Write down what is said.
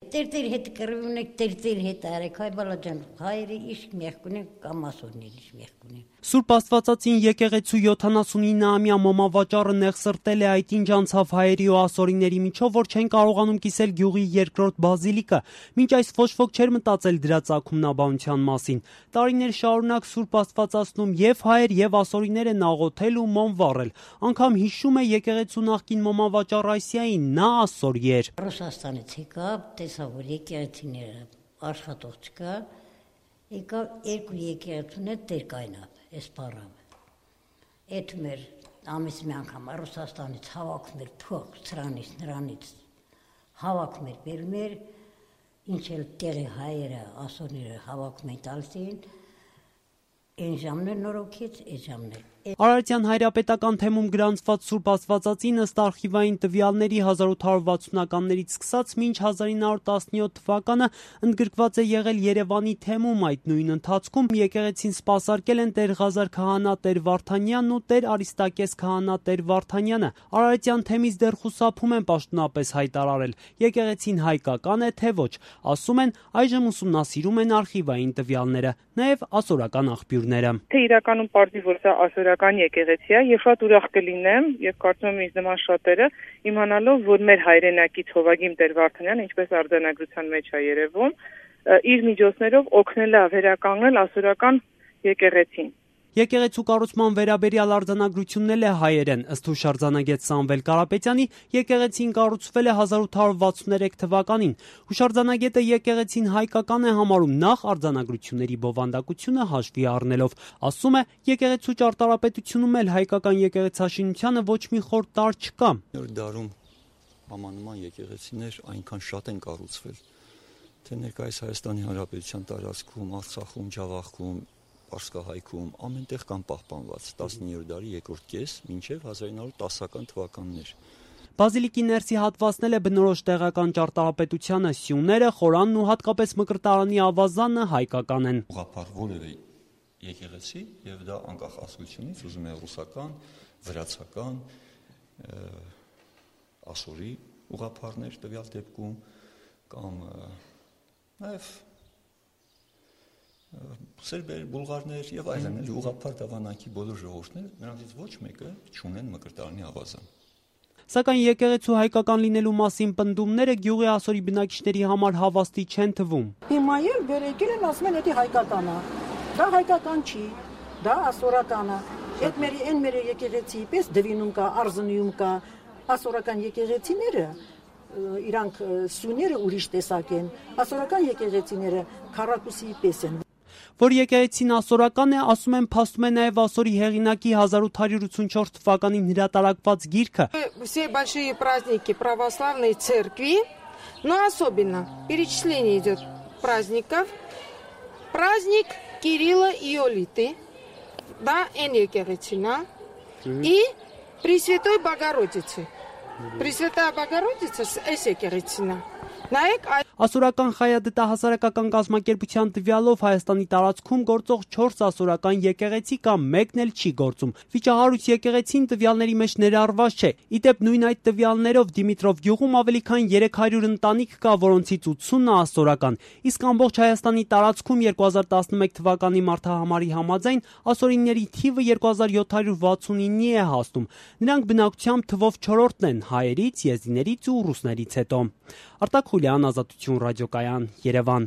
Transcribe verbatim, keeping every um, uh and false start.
Տերտեր հետ կռվում եք, տերտեր հետ արեք, հայ բալաջան, հայերը իշք մեղք ունեն, կամ ասորներ իշք մեղք ունեն։ Սուրբ Աստվածածին եկեղեցու յոթանասունիննամյա մոմավաճառը նեղսրտել է այդ ինչ անցավ հայերի ու ասորիների միջով, որ չեն կարողանում կիսել գյուղի երկրորդ բազիլիկը, մինչ այս ոչ ոք չէր մտածել դրա ծագումնաբանության մասին։ Տարիներ շարունակ Սուրբ Աստվածածնում եւ հայեր եւ ասորիներ են աղոթել ու մոմ վառել։ Անգամ հիշում է եկեղեցու նախկին մոմավաճառ Այսիային, նա ասորի էր։ Ռուսաստանից եկավ, տեսավ, որ եկեղեցիները աշխատող չկա, եկավ երկու եկեղեցուն հետ դեր կայնավ, այս պարավ։ Էդ մեր ամիս մի անգամ Ռուսաստանից հավաքում էր փող, սրանից, նրանից հավաքում էր, բերում էր, ինչ էլ տեղի հայերը, ասորները հավաքում են տալիս էին, այն ժամն էլ նորոգից, այս ժամն էլ։ Արարատյան հայրապետական թեմում գրանցված Սուրբ Աստվածածին ըստ արխիվային տվյալների հազար ութ հարյուր վաթսունականներից սկսած մինչ հազար ինը հարյուր տասնյոթ թվականը ընդգրկված է եղել Երևանի թեմում, այդ նույն ընթացքում եկեղեցին սպասարկել են Տեր Ղազար քահանա Տեր Վարդանյանն ու Տեր Արիստակես քահանա Տեր Վարդանյանը։ Արարատյան թեմից դեռ խուսափում են պաշտոնապես հայտարարել, եկեղեցին հայկական է թե ոչ, ասում են այժմ ուսումնասիրում են արխիվային տվյալները, նաև ասորական աղբյուրները։ Թե իրականում պարզի, որ սա ասորական եկեղեցի է, եւ շատ ուրախ կլինեմ, եւ կարծում եմ ինձ նման շատերը իմանալով, որ մեր հայրենակից Հովագիմ Տեր Վարդանյանը, ինչպես արձանագրության մեջ է երևում, իր միջոցներով օգնել է վերականգնել ասորական եկեղեցին։ Եկեղեցու կառուցման վերաբերյալ արձանագրությունն էլ է հայերեն, ըստ հուշարձանագետ Սամվել Կարապետյանի, եկեղեցին կառուցվել է հազար ութ հարյուր վաթսուներեք թվականին։ Հուշարձանագետը եկեղեցին հայկական է համարում նախ արձանագրությունների բովանդակությունը հաշվի առնելով։ Ասում է, եկեղեցու ճարտարապետությունում էլ հայկական եկեղեցաշինությանը ոչ մի խոր տարր չկա։ Նոր դարում համանման եկեղեցիներ այնքան շատ են կառուցվել, թե ներկայիս Հայաստանի Հանրապետության տարածքում, Արցախում, Ջավախքում, Պարսկահայքում ամենտեղ կան պահպանված տասնիններորդ դարի երկրորդ կես մինչև հազար ինը հարյուր տասական թվականներ։ Բազիլիկի ներսի հատվածն էլ է բնորոշ տեղական ճարտարապետությանը, սյուները, խորանն ու հատկապես մկրտարանի ավազանը հայկական են։ Ուղղափառ որևէ եկեղեցի եւ դա անկախ ազգությունից, ուզում է ռուսական, վրացական, ասորի ուղղափառներ տվյալ դեպքում կամ նաեւ սերբեր, բուլղարներ եւ այլն, էլի ուղղափառ դավանանքի բոլոր ժողովուրդները, նրանցից ոչ մեկը չունեն մկրտարանի ավազան։ Սակայն եկեղեցու հայկական լինելու մասին պնդումները գյուղի ասորի բնակիչների համար հավաստի չեն թվում։ Հիմա էլ վերեկել են ասում են, դա հայկական է։ Դա հայկական չի, դա ասորական է։ Այդ մեր այն մեր եկեղեցի պես դվինում կա, արզնիում կա, ասորական եկեղեցիները իրանք սյուները ուրիշ տեսակ են, ասորական եկեղեցիները քառակուսի պես են։ Որ եկեղեցին ասորական է, ասում են, փաստում է նաև ասորի հեղինակի հազար ութ հարյուր ութսունչորդ թվականին հրատարակված գիրքը։ Все большие праздники православной церкви, но особенно перечисление идет праздников. Праздник Кирилла и Иолиты, да, эн եկեղեցինա, и Пресвятой Богородицы. Пресвятая Богородица эս եկեղեցինա։ Նայեք, Ասորական խայադտահասարակական կազմակերպության տվյալով Հայաստանի տարածքում գործող չորս ասորական եկեղեցի կամ մեկն էլ չի գործում։ Վիճահարույց եկեղեցին տվյալների մեջ ներառված չէ։ Իդեպ նույն այդ տվյալներով Դիմիտրով գյուղում ավելի քան երեք հարյուր ընտանիք կա, որոնցից ութսունը ասորական։ Իսկ ամբողջ Հայաստանի տարածքում երկու հազար տասնմեկ թվականի մարտահամարի համաձայն ասորիների թիվը երկու հազար յոթ հարյուր վաթսունինի է հասնում։ Նրանք բնակչությամբ թվով չորրորդն են հայերից, եզդիներից ու ռուսներից հետո։ Արտակ Խուլյան, Ազատություն ռադիոկայան, Երևան։